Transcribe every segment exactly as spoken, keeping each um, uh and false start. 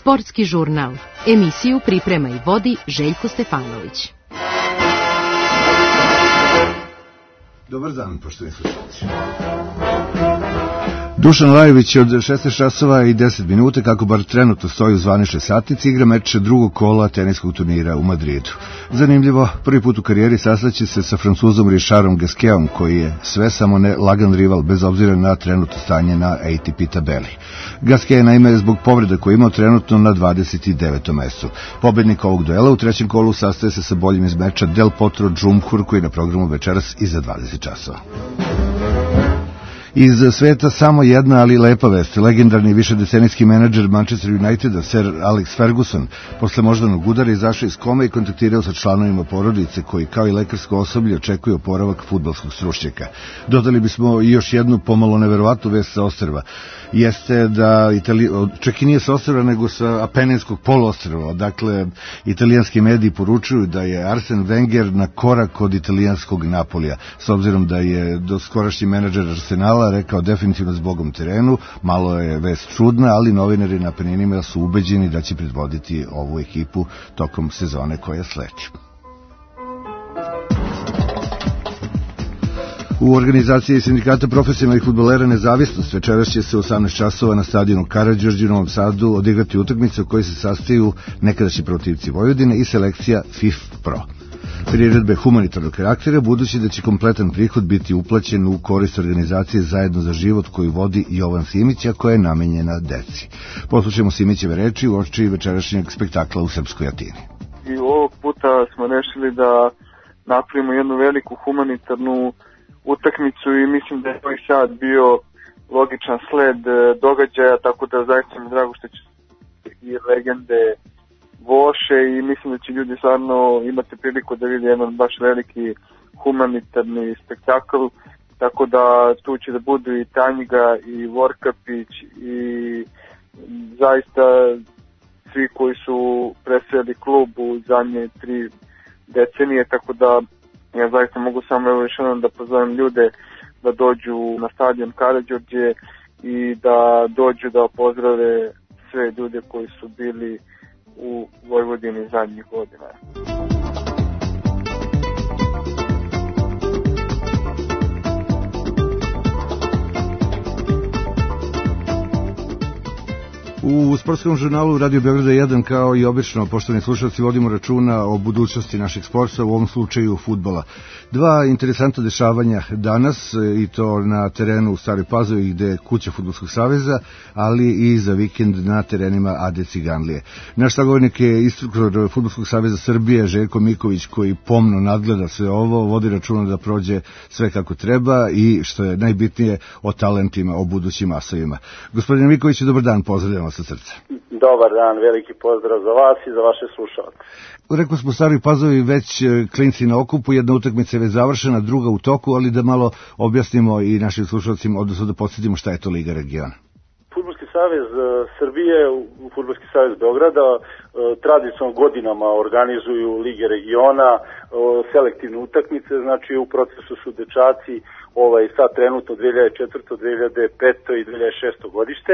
Sportski žurnal. Emisiju priprema i vodi Željko Stefanović. Dobar dan, poštovani slušalci. Dušan Lajović je od šesnaest časova i deset minuta, kako bar trenutno stoji u zvaničnoj satnici, igra meč drugog kola teniskog turnira u Madridu. Zanimljivo, prvi put u karijeri sastaće se sa Francuzom Richardom Gasquetom, koji je sve samo ne lagan rival, bez obzira na trenutno stanje na A T P tabeli. Gasquet je naime zbog povreda koje je imao trenutno na dvadeset devetom mestu. Pobednik ovog duela u trećem kolu sastaje se sa boljim iz meča Del Potro Džumhur, koji je na programu večeras i za dvadeset časova. Iz sveta samo jedna, ali lepa vest. Legendarni višedecenijski menadžer Manchester Uniteda, Sir Alex Ferguson, posle moždanog udara izašao iz kome i kontaktirao sa članovima porodice koji, kao i lekarsko osoblje, očekuju oporavak fudbalskog stručnjaka. Dodali bismo i još jednu pomalo neverovatnu vest sa ostrva. Jeste da, Itali... čak i nije sa ostrva, nego sa Apeninskog poluostrva. Dakle, italijanski mediji poručuju da je Arsene Wenger na korak od italijanskog Napolija, s obzirom da je doskorašnji menadžer Arsenala rekao definitivno s Bogom terenu. Malo je vest čudna, ali novinari na Apeninima su ubeđeni da će predvoditi ovu ekipu tokom sezone koja sledi. U organizaciji sindikata profesionalnih fudbalera Nezavisnost večeras će se u osamnaest časova na stadionu Karađorđe u Novom Sadu odigrati utakmice u kojoj se sastaju nekadašnji protivci Vojvodine i selekcija F I F Pro. Priredbe humanitarnog karaktera, budući da će kompletan prihod biti uplaćen u korist organizacije Zajedno za život koju vodi Jovan Simić, a koja je namenjena deci. Poslušajmo Simićeve reči u oči večerašnjeg spektakla u Srpskoj Atini. I ovog puta smo rešili da napravimo jednu veliku humanitarnu utakmicu i mislim da je ovaj sad bio logičan sled događaja, tako da zaista mi drago što će i legende Voše i mislim da će ljudi stvarno imati priliku da vidi jedan baš veliki humanitarni spektakl, tako da tu će da budu i Tanjiga i Vorkapić i zaista svi koji su predstavljali klub u zadnje tri decenije, tako da ja zaista mogu samo evo još jednom da pozovem ljude da dođu na stadion Karađorđe i da dođu da pozdrave sve ljude koji su bili u Vojvodini zadnjih godina. U sportskom žurnalu Radio Beograda jedan, kao i obično, poštovani slušalci, vodimo računa o budućnosti našeg sporta, u ovom slučaju fudbala. Dva interesantna dešavanja danas, i to na terenu u Staroj Pazovi, gde je kuća Fudbalskog saveza, ali i za vikend na terenima A D Ciganlije. Naš sagovornik je instruktor Fudbalskog saveza Srbije, Željko Miković, koji pomno nadgleda sve ovo, vodi računa da prođe sve kako treba i, što je najbitnije, o talentima, o budućim asovima. Gospodine Miković, dobar dan, pozdravljamo sa srca. Dobar dan, veliki pozdrav za vas i za vaše slušalce. Rekli smo Staroj Pazovi već klinci na okupu, jedna utakmica je već završena, druga u toku, ali da malo objasnimo i našim slušalcima, odnosno da podsjetimo šta je to Liga regiona. Fudbalski savez Srbije, Fudbalski savez Beograda tradicionalno godinama organizuju Lige regiona, selektivne utakmice, znači u procesu su dečaci ovaj, sad trenutno dve hiljade četvrte, dve hiljade pete i dve hiljade šeste godište.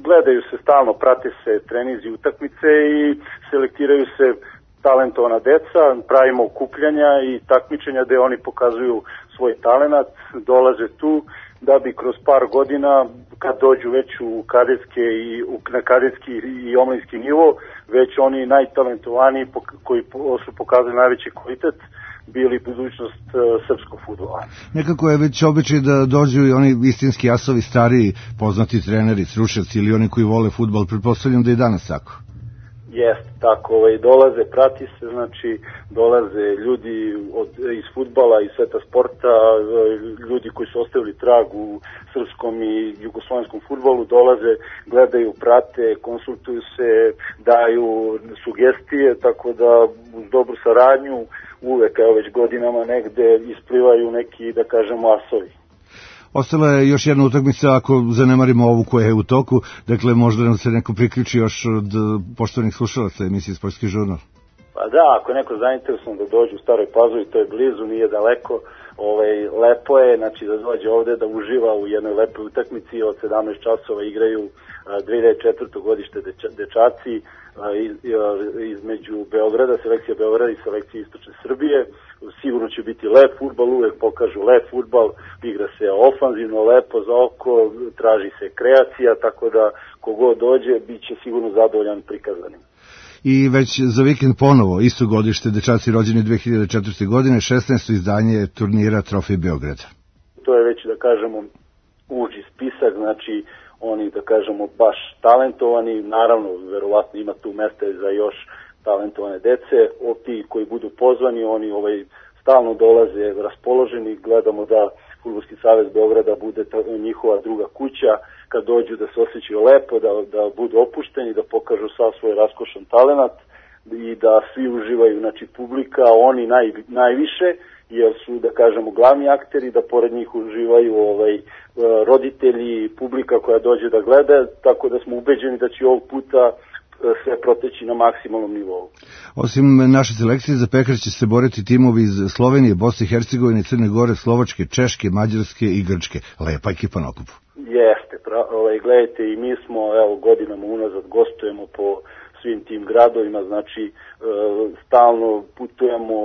Gledaju se stalno, prate se trenizi utakmice i selektiraju se talentovana deca, pravimo okupljanja i takmičenja gde oni pokazuju svoj talenat, dolaze tu da bi kroz par godina, kad dođu već u kadetske i u, na kadetski i omladinski nivo, već oni najtalentovaniji koji su pokazali najveći kvalitet, bili budućnost uh, srpskog fudbala. Nekako je već običaj da dođu i oni istinski asovi, stariji, poznati treneri, stručnjaci ili oni koji vole fudbal. Pretpostavljam da je danas tako. Jeste, tako, ovaj, dolaze, prati se, znači, dolaze ljudi od, iz fudbala, iz sveta sporta, ljudi koji su ostavili trag u srpskom i jugoslovenskom fudbalu, dolaze, gledaju, prate, konsultuju se, daju sugestije, tako da uz dobru saradnju uvek, evo već godinama negde isplivaju neki, da kažemo, asovi. Ostala je još jedna utakmica, ako zanemarimo ovu koja je u toku, dakle možda nam se neko priključi još od poštovanih slušalaca emisije Sportski žurnal. Pa da, ako je neko zainteresovan da dođe u Staroj Pazovi, to je blizu, nije daleko, ovaj, lepo je, znači da dođe ovde da uživa u jednoj lepoj utakmici. Od sedamnaest časova igraju dve hiljade četvrte godište dečaci iz, između Beograda, selekcija Beograda i selekcija Istočne Srbije. Sigurno će biti lep fudbal, uvek pokažu lep fudbal, igra se ofanzivno, lepo za oko, traži se kreacija, tako da kogod dođe bit će sigurno zadovoljan prikazanim. I već za vikend ponovo, isto godište, dečaci rođeni dve hiljade četvrte godine, šesnaesto izdanje turnira Trofej Beograda. To je već, da kažemo, uži spisak, znači oni, da kažemo, baš talentovani, naravno, verovatno ima tu mesta za još talentovane dece, od ti koji budu pozvani, oni ovaj, stalno dolaze raspoloženi, gledamo da Fudbalski savez Beograda bude ta, njihova druga kuća, kad dođu da se osjećaju lepo, da, da budu opušteni, da pokažu sav svoj raskošan talenat i da svi uživaju, znači publika, oni naj, najviše, jer su, da kažemo, glavni akteri, da pored njih uživaju ovaj, roditelji, publika koja dođe da gleda, tako da smo ubeđeni da će ovog puta sve proteći na maksimalnom nivou. Osim naše selekcije, za Pekar će se boriti timovi iz Slovenije, Bosne i Hercegovine, Crne Gore, Slovačke, Češke, Mađarske i Grčke. Lepa ekipa na okupu. Jeste, pra, ovaj, gledajte, i mi smo evo, godinama unazad gostujemo po svim tim gradovima, znači e, stalno putujemo,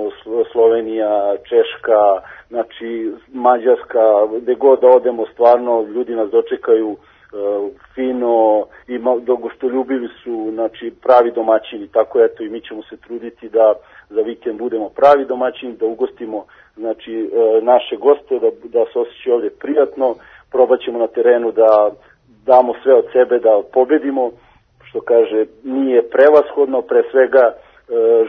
Slovenija, Češka, znači Mađarska, gde god da odemo, stvarno ljudi nas dočekaju fino i gostoljubivi su, znači pravi domaćini, tako eto i mi ćemo se truditi da za vikend budemo pravi domaćini, da ugostimo znači naše goste, da, da se osjećaju ovdje prijatno, probat ćemo na terenu da damo sve od sebe da pobedimo, što kaže nije prevashodno, pre svega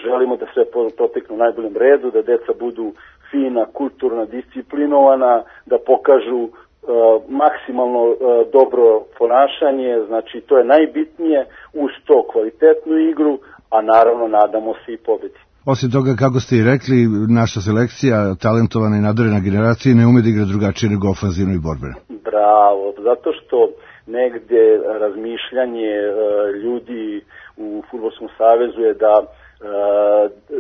želimo da sve protekne u najboljem redu, da deca budu fina, kulturna, disciplinovana, da pokažu Uh, maksimalno uh, dobro ponašanje, znači to je najbitnije, uz to kvalitetnu igru, a naravno nadamo se i pobedi. Osim toga, kako ste i rekli, naša selekcija, talentovana i nadarena generacija, ne ume da igra drugačije nego ofanzivno i borbeno. Bravo, zato što negde razmišljanje uh, ljudi u Fudbalskom savezu je da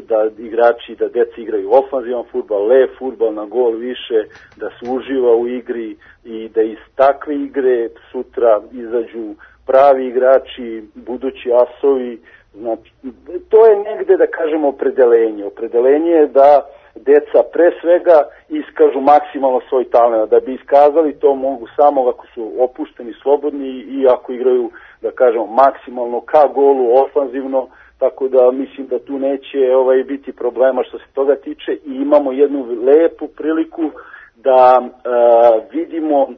da igrači, da deca igraju ofanzivan fudbal, lep fudbal, na gol više, da se uživa u igri i da iz takve igre sutra izađu pravi igrači, budući asovi. Znači, to je negde, da kažemo, opredelenje. Opredelenje je da deca pre svega iskažu maksimalno svoj talent. Da bi iskazali to mogu samo ako su opušteni, slobodni i ako igraju, da kažemo, maksimalno ka golu, ofanzivno. Tako da mislim da tu neće ovaj, biti problema što se toga tiče i imamo jednu lepu priliku da e, vidimo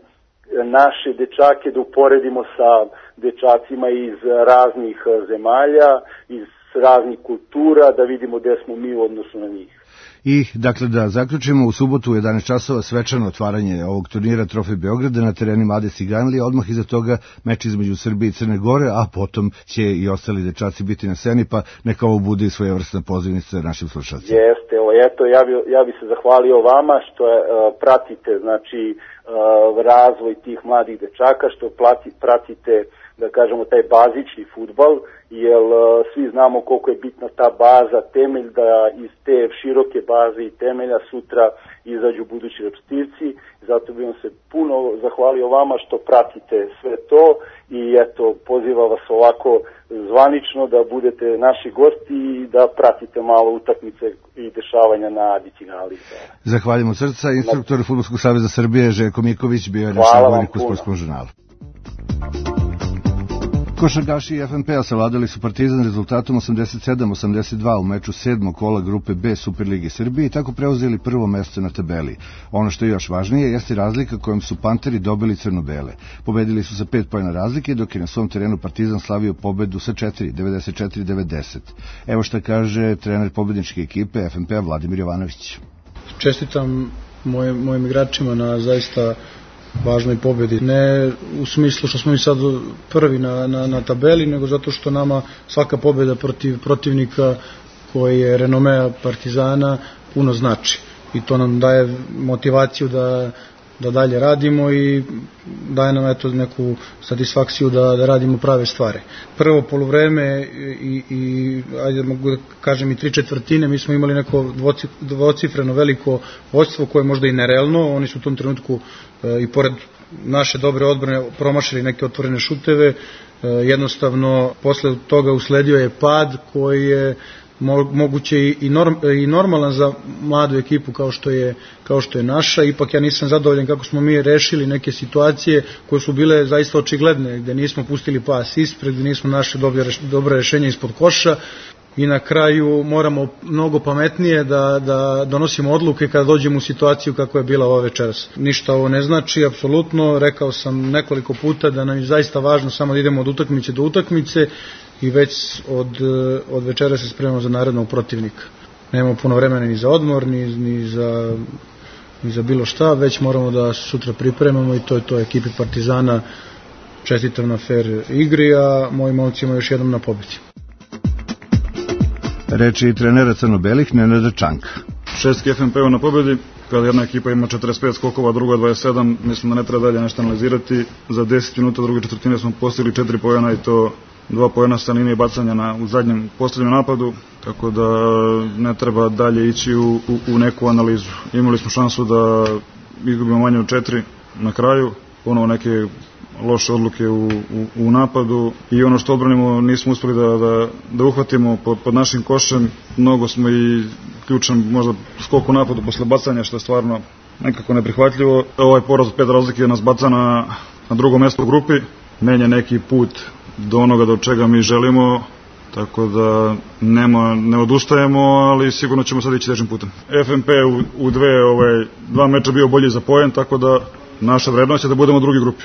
naše dečake, da uporedimo sa dečacima iz raznih zemalja, iz raznih kultura, da vidimo gde smo mi u odnosu na njih. I, dakle, da zaključimo, u subotu u jedanaest časova svečano otvaranje ovog turnira Trofej Beograda na terenima Ades i Ganlija, odmah iza toga meč između Srbije i Crne Gore, a potom će i ostali dečaci biti na sceni, pa neka ovo bude i svojevrsna pozivnica našim slušalcima. Jeste, evo, eto, ja bi, ja bi se zahvalio vama što je, uh, pratite, znači, uh, razvoj tih mladih dečaka, što plati, pratite, da kažemo, taj bazični fudbal, jer uh, svi znamo koliko je bitna ta baza, temelj, da iz te široke baze i temelja sutra izađu budući reprezentativci. Zato bih vam se puno zahvalio vama što pratite sve to i eto, pozivam vas ovako zvanično da budete naši gosti i da pratite malo utakmice i dešavanja na Adicinali. Zahvaljujem od srca. Instruktor Fudbalskog saveza Srbije Željko Miković bio je naš sagovornik u Sportskom žurnalu. Košarkaši F N P-a savladali su Partizan rezultatom osamdeset sedam osamdeset dva u meču sedmog kola grupe B Superlige Srbije i tako preuzeli prvo mesto na tabeli. Ono što je još važnije jeste razlika kojom su Panteri dobili crno-bele. Pobedili su sa pet poena razlike, dok je na svom terenu Partizan slavio pobedu sa četiri, devedeset četiri devedeset. Evo šta kaže trener pobedničke ekipe F N P-a Vladimir Jovanović. Čestitam moj, mojim igračima na zaista važnoj pobedi. Ne u smislu što smo mi sad prvi na, na, na tabeli, nego zato što nama svaka pobeda protiv protivnika koji je renomea Partizana puno znači. I to nam daje motivaciju da da dalje radimo i daje nam eto neku satisfakciju da, da radimo prave stvari. Prvo poluvreme i, i ajde mogu da kažem i tri četvrtine, mi smo imali neko dvocifreno veliko vođstvo koje je možda i nerealno, oni su u tom trenutku e, i pored naše dobre odbrane promašili neke otvorene šuteve, e, jednostavno posle toga usledio je pad koji je moguće i, norm, i normalan za mladu ekipu kao što je kao što je naša. Ipak ja nisam zadovoljan kako smo mi rešili neke situacije koje su bile zaista očigledne, gde nismo pustili pas ispred, gde nismo našli dobre, dobre rešenja ispod koša i na kraju moramo mnogo pametnije da, da donosimo odluke kada dođemo u situaciju kako je bila ova večeras. Ništa ovo ne znači, apsolutno, rekao sam nekoliko puta da nam je zaista važno samo da idemo od utakmice do utakmice i već od, od večera se spremamo za narednog protivnika. Nemamo puno vremena ni za odmor, ni, ni, za, ni za bilo šta, već moramo da sutra pripremamo i to je to ekipi Partizana. Čestitam na fair igri, a mojim momcima još jednom na pobedi. Reči i trenera crno-belih Nenada Čanka. Šestki F M P-u na pobedi, kada jedna ekipa ima četrdeset pet skokova, druga dvadeset sedam, mislim da ne treba dalje nešto analizirati. Za deset minuta druge četvrtine smo postigli četiri poena i to dva poena sa linije bacanja na, u zadnjem posljednjem napadu, tako da ne treba dalje ići u, u, u neku analizu. Imali smo šansu da izgubimo manje od četiri na kraju, ponovo neke loše odluke u, u, u napadu i ono što odbranimo nismo uspeli da, da, da uhvatimo pod, pod našim košem. Mnogo smo i ključan možda skok u napadu posle bacanja, što je stvarno nekako neprihvatljivo. Ovaj poraz od pet razlike nas baca na, na drugo mesto u grupi, menja neki put do onoga do čega mi želimo, tako da nema, ne odustajemo, ali sigurno ćemo sad ići težim putem. F M P u, u dve, ovaj, dva meča bio bolji za poen, tako da naša vrednost je da budemo u drugi grupi.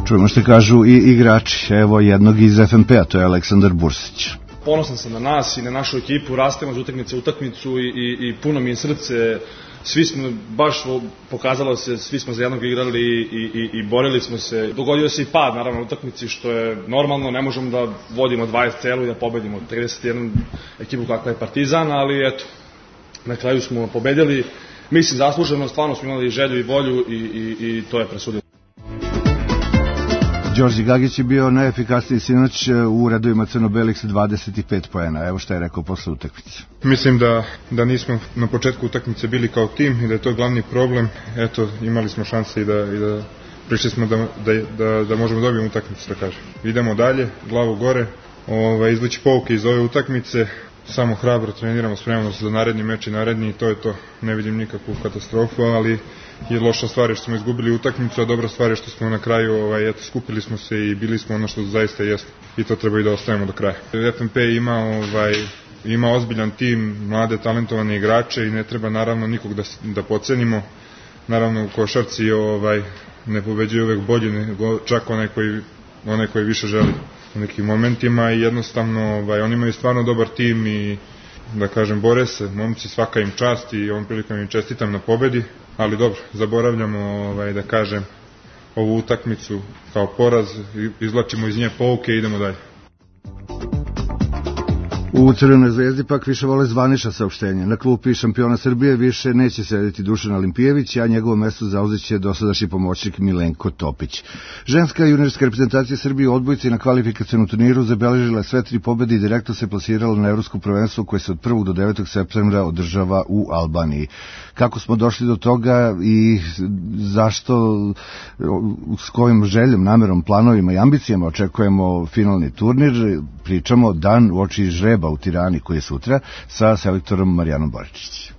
Čujemo što kažu i igrači, evo jednog iz F M P-a, to je Aleksandar Bursić. Ponosan sam na nas i na našu ekipu, rastemo iz utakmice u utakmicu i, i, i puno mi je srce. Svi smo, baš pokazalo se, svi smo za jednog igrali i, i, i borili smo se. Dogodio se i pad, naravno, u utakmici, što je normalno, ne možemo da vodimo dvadeset celu i da pobedimo trideset jedan ekipu kakva je Partizan, ali eto, na kraju smo pobedili. Mislim, zasluženo, stvarno smo imali želju i volju i, i, i to je presudilo. Đorđe Gagić je bio najefikasniji sinoć u redovima crno-belih sa dvadeset pet poena. Evo šta je rekao posle utakmice. Mislim da, da nismo na početku utakmice bili kao tim i da je to glavni problem. Eto, imali smo šanse i da, i da prišli smo da, da, da, da možemo dobiti utakmicu, da kažem. Idemo dalje, glavu gore, ovaj, izvući pouke iz ove utakmice, samo hrabro treniramo, spremamo se za naredni meč i naredni i to je to. Ne vidim nikakvu katastrofu, ali je loša stvar je što smo izgubili utakmicu, a dobra stvar je što smo na kraju ovaj, eto, skupili smo se i bili smo ono što zaista jeste i to treba i da ostavimo do kraja. F M P ima, ovaj, ima ozbiljan tim, mlade talentovane igrače i ne treba naravno nikog da, da podcenimo. Naravno u košarci ovaj, ne pobeđuje uvek bolji, nego čak onaj koji, onaj koji više želi u nekim momentima i jednostavno ovaj, oni imaju stvarno dobar tim i da kažem bore se, momci, svaka im čast i ovom prilikom im čestitam na pobedi, ali dobro, zaboravljamo ovaj, da kažem ovu utakmicu kao poraz, izvlačimo iz nje pouke i idemo dalje. U Crvenoj zvezdi pak više vole zvanična saopštenja. Na klupi šampiona Srbije više neće sedeti Dušan Olimpijević, a njegovo mesto zauzeće dosadašnji pomoćnik Milenko Topić. Ženska juniorska reprezentacija Srbije u odbojci na kvalifikacionom turniru zabeležila sve tri pobede i direktno se plasirala na evropsko prvenstvo koje se od prvog do devetog septembra održava u Albaniji. Kako smo došli do toga i zašto, s kojim željom, namerom, planovima i ambicijama očekujemo finalni turnir, pričamo dan uoči žreba u Tirani koji je sutra sa selektorom Marijanom Boričić.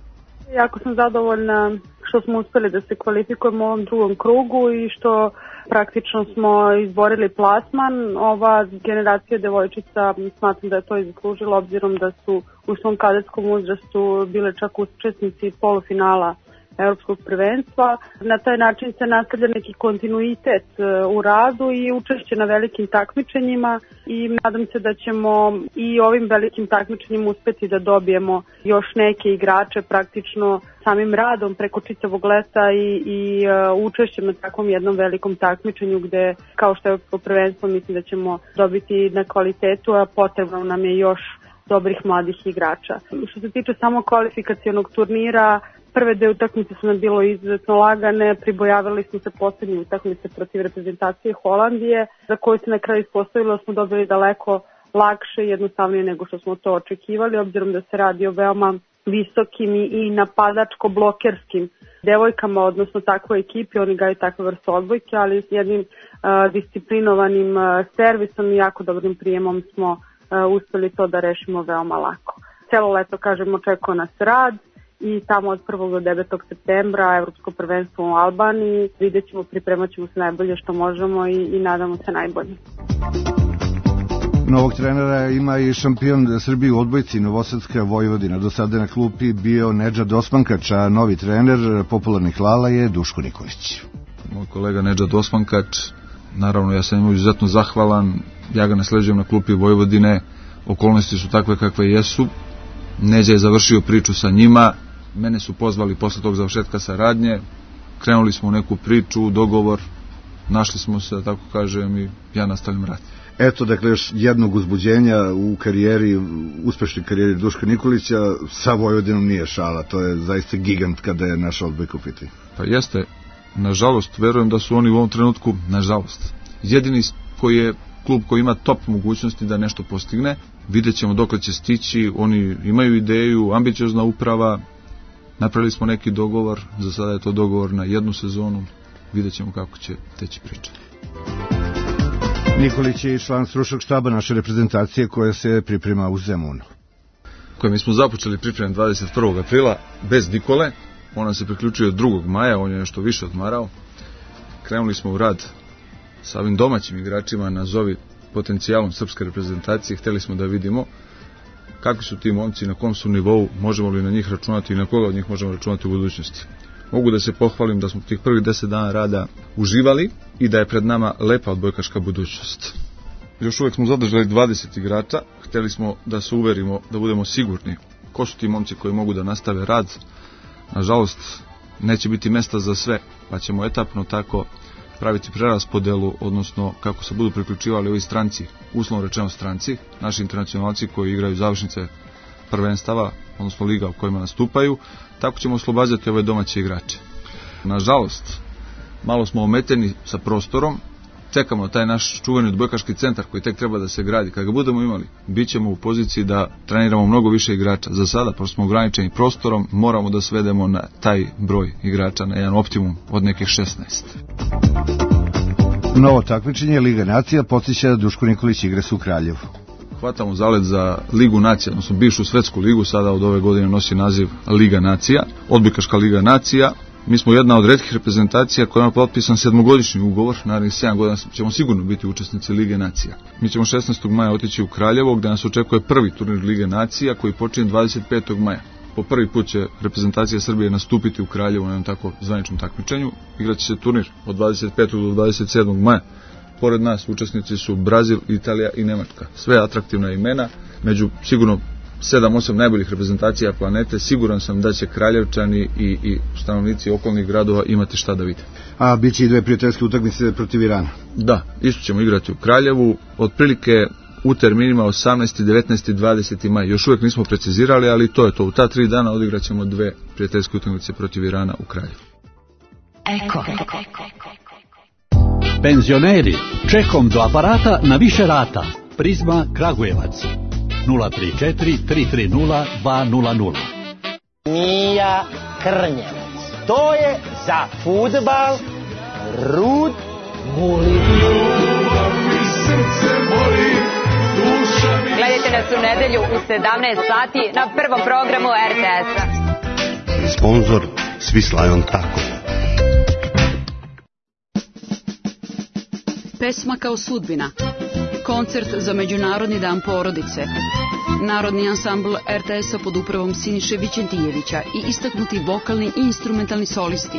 Jako sam zadovoljna što smo uspeli da se kvalifikujemo u ovom drugom krugu i što praktično smo izborili plasman. Ova generacija devojčica smatram da je to zaslužila obzirom da su u svom kadetskom uzrastu bile čak učesnici polufinala evropskog prvenstva. Na taj način se nastavlja neki kontinuitet u radu i učešće na velikim takmičenjima i nadam se da ćemo i ovim velikim takmičenjima uspeti da dobijemo još neke igrače praktično samim radom preko čitavog leta i, i uh, učešćem na takvom jednom velikom takmičenju gde, kao što je evropsko prvenstvo, mislim da ćemo dobiti na kvalitetu, a potrebno nam je još dobrih mladih igrača. Što se tiče samo kvalifikacionog turnira, Prve dve utakmice su nam bilo izuzetno lagane, pribojavali smo se poslednje utakmice protiv reprezentacije Holandije, za koju se na kraju ispostavilo smo dobili daleko lakše i jednostavnije nego što smo to očekivali, obzirom da se radi o veoma visokim i napadačko-blokerskim devojkama, odnosno takvoj ekipi, oni gaju takve vrste odbojke, ali s jednim uh, disciplinovanim uh, servisom i jako dobrim prijemom smo uh, uspeli to da rešimo veoma lako. Celo leto, kažem, očekuje nas rad i tamo od prvog do devetog septembra Evropsko prvenstvo u Albaniji. Vidjet ćemo, pripremat ćemo se najbolje što možemo i, i nadamo se najbolje. Novog trenera ima i šampion Srbije u odbojci Novosadska Vojvodina. Do sada na klupi bio Nedžad Osmankač, a novi trener popularnih Lala je Duško Nikolić. Moj kolega Nedžad Osmankač, naravno ja sam im izuzetno zahvalan, ja ga nasleđujem na klupi Vojvodine, okolnosti su takve kakve jesu, Neđa je završio priču sa njima, mene su pozvali posle tog završetka saradnje, krenuli smo u neku priču, dogovor, našli smo se, tako kažem, i ja nastavljam rad. Eto, dakle, još jednog uzbuđenja u karijeri, uspešnoj karijeri Duška Nikolića, sa Vojvodinom nije šala, to je zaista gigant kada je naš odbojka u pitanju. Pa jeste, nažalost, verujem da su oni u ovom trenutku, nažalost, jedini koji je klub koji ima top mogućnosti da nešto postigne, vidjet ćemo dokle će stići, oni imaju ideju, ambiciozna uprava, napravili smo neki dogovor, za sada je to dogovor na jednu sezonu, vidjet ćemo kako će teći priča. Nikolić je član stručnog štaba naše reprezentacije koja se priprema u Zemunu. Koje mi smo započeli pripremu dvadeset prvog aprila bez Nikole, on se priključio drugog maja, on je nešto više odmarao. Krenuli smo u rad sa ovim domaćim igračima, nazovi potencijalom srpske reprezentacije, hteli smo da vidimo kakvi su ti momci, na kom su nivou, možemo li na njih računati i na koga od njih možemo računati u budućnosti. Mogu da se pohvalim da smo tih prvih deset dana rada uživali i da je pred nama lepa odbojkaška budućnost. Još uvek smo zadržali dvadeset igrača, hteli smo da se uverimo, da budemo sigurni ko su ti momci koji mogu da nastave rad. Nažalost, neće biti mesta za sve, pa ćemo etapno tako praviti preraspodelu, odnosno kako se budu priključivali ovi stranci, uslovno rečeno stranci, naši internacionalci koji igraju završnice prvenstava, odnosno liga u kojima nastupaju, tako ćemo oslobađati ove domaće igrače. Nažalost, malo smo ometeni sa prostorom, čekamo taj naš čuveni odbojkaški centar koji tek treba da se gradi. Kad ga budemo imali, bit ćemo u poziciji da treniramo mnogo više igrača. Za sada, pošto smo ograničeni prostorom, moramo da svedemo na taj broj igrača, na jedan optimum od nekih šesnaest. Novo takmičenje Liga nacija podsjeća da Duško Nikolić igra se u Kraljevu. Hvatamo zalet za Ligu nacija, odnosno bivšu svetsku ligu, sada od ove godine nosi naziv Liga nacija, odbojkaška Liga nacija. Mi smo jedna od retkih reprezentacija koja ima potpisan sedmogodišnji ugovor, narednih sedam godina ćemo sigurno biti učesnici Lige nacija. Mi ćemo šesnaestog maja otići u Kraljevo, gde nas očekuje prvi turnir Lige nacija koji počinje dvadeset petog maja. Po prvi put će reprezentacija Srbije nastupiti u Kraljevu na jednom tako zvaničnom takmičenju. Igraće se turnir od dvadeset petog do dvadeset sedmog maja. Pored nas učesnici su Brazil, Italija i Nemačka. Sve atraktivna imena, među sigurno sedam osam najboljih reprezentacija planete. Siguran sam da će Kraljevčani i, i stanovnici okolnih gradova imati šta da vide. A bit će i dve prijateljske utakmice protiv Irana. Da, isto ćemo igrati u Kraljevu, otprilike u terminima osamnaesti, devetnaesti i dvadeseti maj. Još uvijek nismo precizirali, ali to je to. U ta tri dana odigraćemo dve prijateljske utakmice protiv Irana u Kraljevu. Eko. Penzioneri, čekom do aparata na više rata. Prizma Kragujevac. nula tri četiri, tri tri nula, dva nula nula. Mija Krnjevac. To je za fudbal Rud Guli. Gledajte nas u nedelju u sedamnaest sati na prvom programu er te es-a. Sponzor Swiss Lion Tako. Pesma kao sudbina. Koncert za Međunarodni dan porodice. Narodni ansambl er te es-a pod upravom Siniše Vićentijevića i istaknuti vokalni i instrumentalni solisti.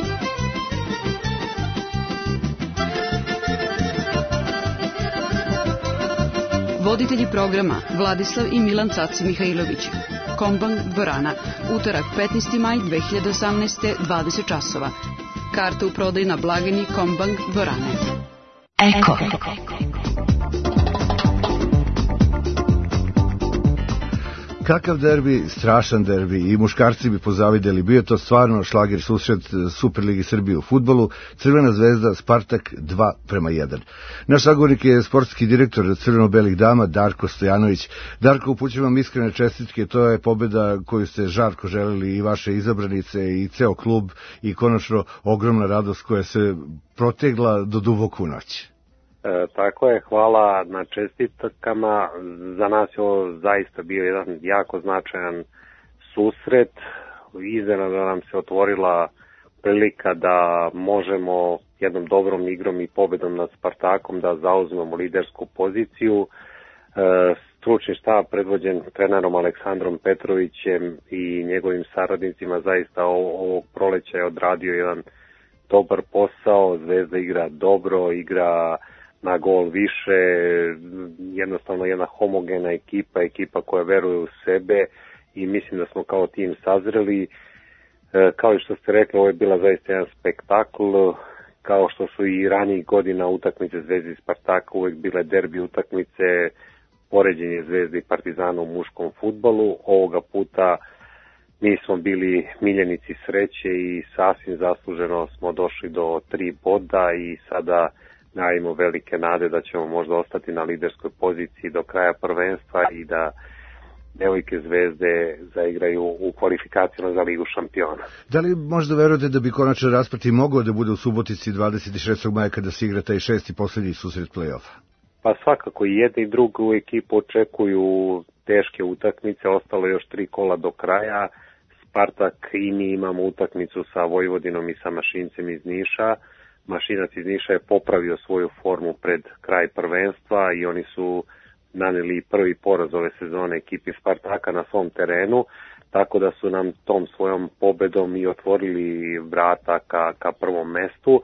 Voditelji programa Vladislav i Milan Caci Mihajlović. Kombang dvorana. Utorak petnaesti maj dve hiljade osamnaeste. dvadeset časova. Karte u prodaju na blagajni Kombang dvorane. Eko. Kakav derbi, strašan derbi, i muškarci bi pozavideli, bio to stvarno šlager susret Superligi Srbije u fudbalu, Crvena zvezda Spartak dva prema jedan. Naš sagovornik je sportski direktor Crveno-belih dama Darko Stojanović. Darko, upućujem vam iskrene čestitke, to je pobeda koju ste žarko želeli i vaše izabranice i ceo klub i konačno ogromna radost koja se protegla do duboku noć. E, tako je, hvala na čestitkama. Za nas je ovo zaista bio jedan jako značajan susret. Iznenada nam se otvorila prilika da možemo jednom dobrom igrom i pobedom nad Spartakom da zauzmemo lidersku poziciju. E, stručni štab predvođen trenerom Aleksandrom Petrovićem i njegovim saradnicima zaista ovog proleća je odradio jedan dobar posao. Zvezda igra dobro, igra na gol više, jednostavno jedna homogena ekipa, ekipa koja veruje u sebe i mislim da smo kao tim sazreli. E, kao i što ste rekli, ovo je bila zaista jedan spektakl, kao što su i ranijih godina utakmice Zvezde i Spartaka uvek bile derbi utakmice, poređenje Zvezde i Partizana u muškom fudbalu. Ovoga puta mi smo bili miljenici sreće i sasvim zasluženo smo došli do tri boda i sada najmo velike nade da ćemo možda ostati na liderskoj poziciji do kraja prvenstva i da devojke Zvezde zaigraju u kvalifikacijama za Ligu šampiona. Da li možda verujete da bi konačan rasplet i mogao da bude u Subotici dvadeset šestog maja kada se igra taj šesti poslednji susret play-offa? Pa svakako i jedni i drugu ekipu očekuju teške utakmice, ostalo još tri kola do kraja. Spartak i mi imamo utakmicu sa Vojvodinom i sa Mašincem iz Niša. Mašinac iz Niša je popravio svoju formu pred kraj prvenstva i oni su naneli prvi poraz ove sezone ekipi Spartaka na svom terenu, tako da su nam tom svojom pobedom i otvorili vrata ka, ka prvom mestu,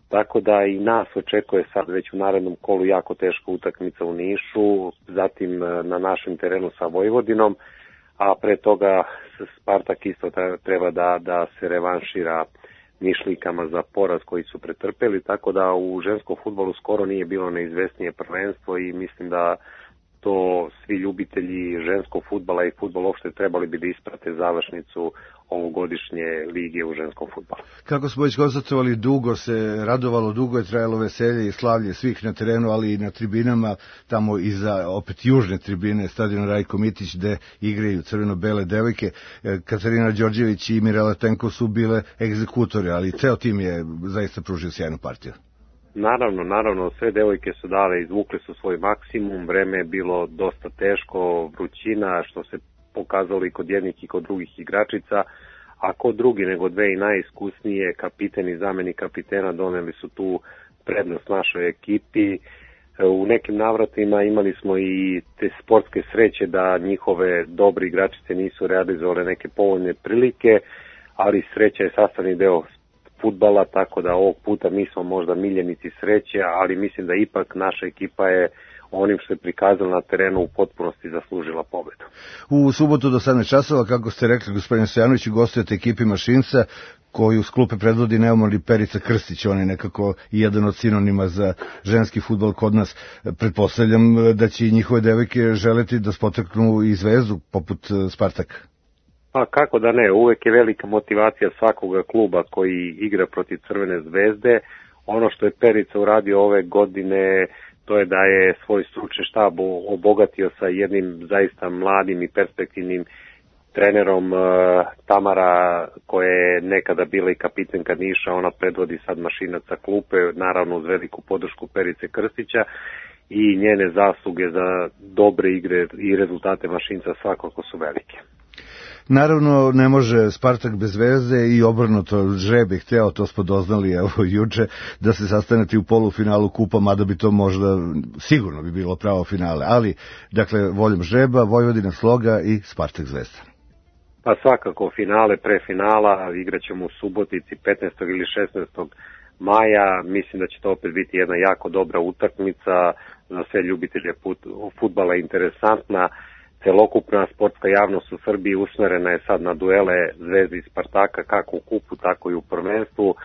tako da i nas očekuje sad već u narednom kolu jako teška utakmica u Nišu, zatim na našem terenu sa Vojvodinom, a pre toga Spartak isto treba da, da se revanšira Nišlikama za poraz koji su pretrpeli, tako da u ženskom fudbalu skoro nije bilo neizvesnije prvenstvo i mislim da to svi ljubitelji ženskog fudbala i fudbala uopšte trebali bi da isprate završnicu ovogodišnje lige u ženskom fudbalu. Kako smo već konstatovali, dugo se radovalo, dugo je trajalo veselje i slavlje svih na terenu, ali i na tribinama, tamo iza opet južne tribine, stadion Rajko Mitić, gde igraju crveno-bele devojke. Katarina Đorđević i Mirela Tenko su bile egzekutore, ali ceo tim je zaista pružio sjajnu partiju. Naravno, naravno, sve devojke su dale, izvukle su svoj maksimum, vreme je bilo dosta teško, vrućina, što se pokazalo i kod jednih i kod drugih igračica, a kod drugi nego dve i najiskusnije, kapiten i zamenik kapitena doneli su tu prednost našoj ekipi. U nekim navratima imali smo i te sportske sreće da njihove dobre igračice nisu realizovale neke povoljne prilike, ali sreća je sastavni deo fudbala, tako da ovog puta mi smo možda miljenici sreće, ali mislim da ipak naša ekipa je onim što je prikazala na terenu u potpunosti zaslužila pobedu. U subotu do sedam časova, kako ste rekli, gospodine Stojanović, gostujete ekipi Mašinca, koju s klupe predvodi neumorni Perica Krstić, on je nekako jedan od sinonima za ženski fudbal kod nas. Pretpostavljam da će i njihove devojke želeti da spotaknu i Zvezdu poput Spartaka. Pa kako da ne, uvek je velika motivacija svakoga kluba koji igra protiv Crvene zvezde. Ono što je Perica uradio ove godine, to je da je svoj stručni štab obogatio sa jednim zaista mladim i perspektivnim trenerom uh, Tamara, koja je nekada bila i kapitenka Niša, ona predvodi sad Mašinac sa klupe, naravno uz veliku podršku Perice Krstića, i njene zasluge za dobre igre i rezultate Mašinca svakako su velike. Naravno, ne može Spartak bez Zvezde i obrnuto, žreb je hteo, to smo doznali evo juče, da se sastanete u polufinalu kupa, mada bi to možda sigurno bi bilo pravo finale, ali dakle voljom žreba, Vojvodina Sloga i Spartak Zvezda. Pa svakako finale, pre finala, igraćemo u Subotici petnaestog ili šesnaestog maja, mislim da će to opet biti jedna jako dobra utakmica, za sve ljubitelje fudbala interesantna. Celokupna sportska javnost u Srbiji usmerena je sad na duele Zvezde i Spartaka, kako u kupu, tako i u prvenstvu,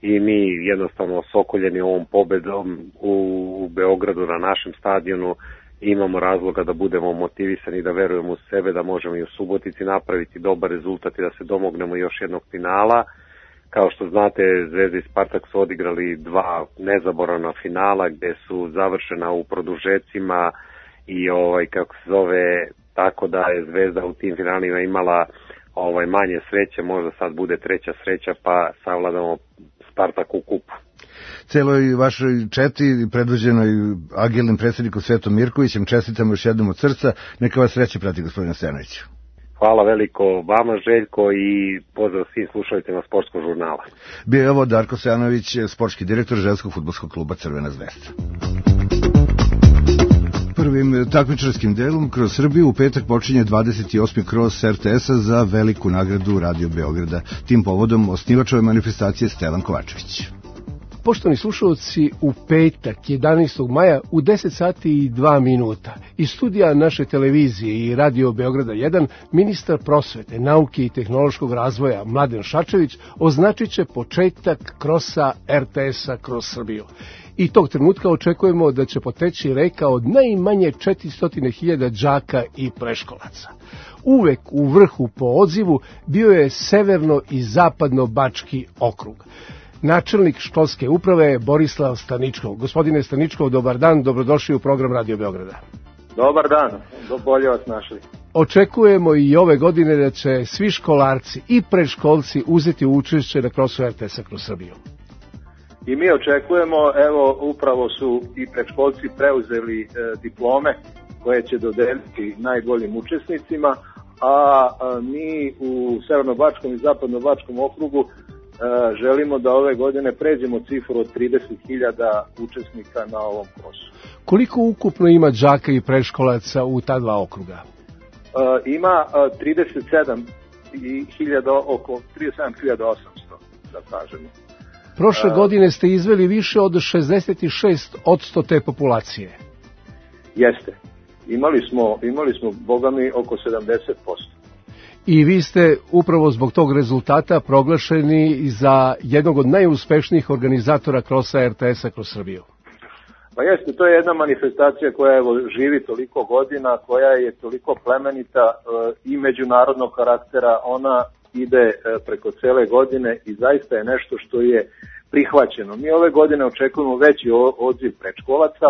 i mi jednostavno sokoljeni ovom pobedom u Beogradu na našem stadionu imamo razloga da budemo motivisani, da verujemo u sebe, da možemo i u Subotici napraviti dobar rezultat i da se domognemo još jednog finala. Kao što znate, Zvezda i Spartak su odigrali dva nezaboravna finala gde su završena u produžecima i ovaj kako se zove, tako da je Zvezda u tim finalima imala ovaj manje sreće, možda sad bude treća sreća pa savladamo Spartak u kupu. Celoj vašoj četi, predvođenoj agilnim predsjednikom Svetom Mirkovićem, čestitamo još jednom od srca. Neka vas sreće prati, gospodine Stojanoviću. Hvala veliko vama, Željko, i pozdrav svim slušateljima Sportskog žurnala. Bio je ovo Darko Stojanović, sportski direktor ženskog fudbalskog kluba Crvena zvezda. Prvim takmičarskim delom kroz Srbiju u petak počinje dvadeset osmi kros er te esa za veliku nagradu Radio Beograda. Tim povodom osnivač ove manifestacije Stevan Kovačević. Poštovani slušalci, u petak jedanaestog maja u deset sati i dva minuta iz studija naše televizije i Radio Beograda jedan ministar prosvete, nauke i tehnološkog razvoja Mladen Šarčević označit će početak krosa er te esa kroz Srbiju. I tog trenutka očekujemo da će poteći reka od najmanje četiristo hiljada đaka i preškolaca. Uvek u vrhu po odzivu bio je severno i zapadno Bački okrug. Načelnik školske uprave je Borislav Staničkov. Gospodine Staničkov, dobar dan, dobrodošli u program Radio Beograda. Dobar dan, bolje vas našli. Očekujemo i ove godine da će svi školarci i predškolci uzeti učešće na krosu er te esa kroz Srbiju. I mi očekujemo, evo upravo su i predškolci preuzeli e, diplome koje će dodeliti najboljim učesnicima, a, a mi u Severno-Bačkom i Zapadno-Bačkom okrugu e, želimo da ove godine pređemo cifru od trideset hiljada učesnika na ovom krosu. Koliko ukupno ima đaka i predškolaca u ta dva okruga? E, ima e, trideset sedam hiljada, oko trideset sedam hiljada osamsto, da kažemo. Prošle godine ste izveli više od šezdeset šest posto te populacije. Jeste. Imali smo, imali smo, boga mi, oko sedamdeset posto. I vi ste upravo zbog tog rezultata proglašeni za jednog od najuspešnijih organizatora krosa er te esa kroz Srbiju. Pa jeste, to je jedna manifestacija koja evo, živi toliko godina, koja je toliko plemenita e, i međunarodnog karaktera, ona ide preko cele godine i zaista je nešto što je prihvaćeno. Mi ove godine očekujemo veći odziv predškolaca,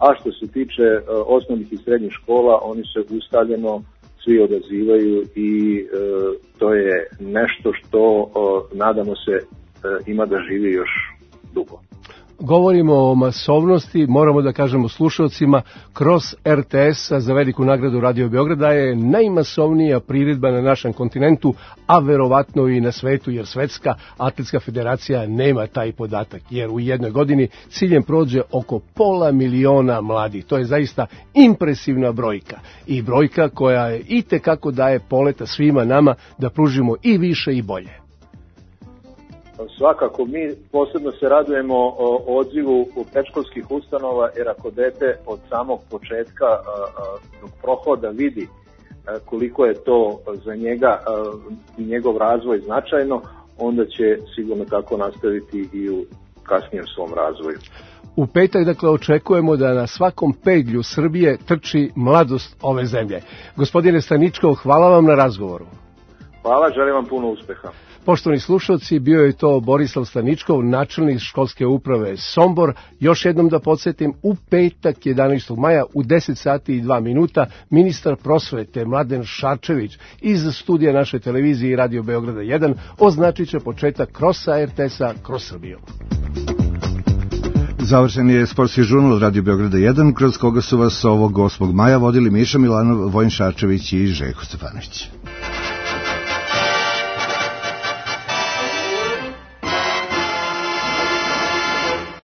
a što se tiče osnovnih i srednjih škola, oni se ustaljeno svi odazivaju i e, to je nešto što o, nadamo se e, ima da živi još dugo. Govorimo o masovnosti, moramo da kažemo slušalcima, kroz er te esa za veliku nagradu Radio Beograda je najmasovnija priredba na našem kontinentu, a verovatno i na svetu, jer Svetska atletska federacija nema taj podatak, jer u jednoj godini ciljem prođe oko pola miliona mladih. To je zaista impresivna brojka i brojka koja je itekako daje poleta svima nama da pružimo i više i bolje. Svakako, mi posebno se radujemo o odzivu u predškolskih ustanova, jer ako dete od samog početka dok prohoda vidi koliko je to za njega i njegov razvoj značajno, onda će sigurno tako nastaviti i u kasnijem svom razvoju. U petak, dakle, očekujemo da na svakom pedlju Srbije trči mladost ove zemlje. Gospodine Staničkov, hvala vam na razgovoru. Hvala, želim vam puno uspeha. Poštovani slušalci, bio je to Borislav Staničkov, načelnik školske uprave Sombor. Još jednom da podsjetim, u petak jedanaestog maja u deset sati i dva minuta ministar prosvete Mladen Šarčević iz studija naše televizije i Radio Beograda jedan označit će početak krosa er te esa kroz Srbiju. Završen je sportski žurnal Radio Beograda jedan, kroz koga su vas ovog osmog maja vodili Miša Milanov, Vojin Šarčević i Željko Stefanović.